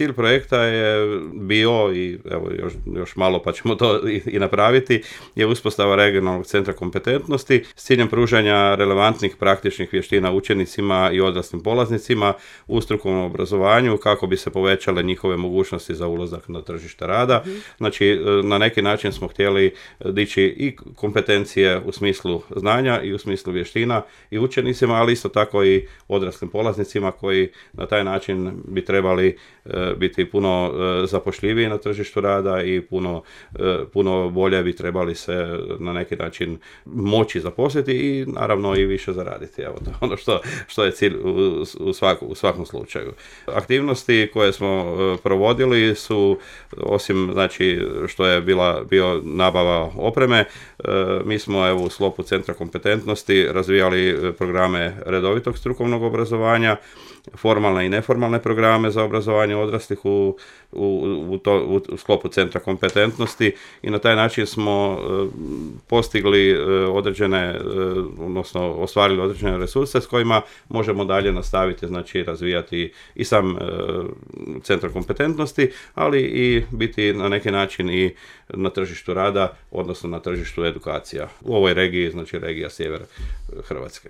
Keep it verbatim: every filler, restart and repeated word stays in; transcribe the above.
cilj projekta je bio, i evo još, još malo pa ćemo to i, i napraviti, je uspostava regionalnog centra kompetentnosti s ciljem pružanja relevantnih praktičnih vještina učenicima i odraslim polaznicima u strukovnom obrazovanju kako bi se povećale njihove mogućnosti za ulazak na tržište rada. Mm-hmm. Znači, na neki način smo htjeli dići i kompetencije u smislu znanja i u smislu vještina i učenicima, ali isto tako i odraslim polaznicima koji na taj način bi trebali e, biti puno e, zapošljiviji na tržištu rada i puno, e, puno bolje bi trebali se na neki način moći zaposliti i naravno i više zaraditi. Evo, to je ono što, što je cilj u, u, svaku, u svakom slučaju. Aktivnosti koje smo e, provodili su, osim znači što je bila bio nabava opreme, e, mi smo evo u sklopu centra kompetentnosti razvijali programe redovitog strukovnog obrazovanja, formalne i neformalne programe za obrazovanje odraslih u, u, u, to, u sklopu centra kompetentnosti i na taj način smo e, postigli e, određene, e, odnosno ostvarili određene resurse s kojima možemo dalje nastaviti, znači razvijati i sam e, centar kompetentnosti, ali i biti na neki način i na tržištu rada, odnosno na tržištu edukacija u ovoj regiji, znači regija sjever Hrvatske.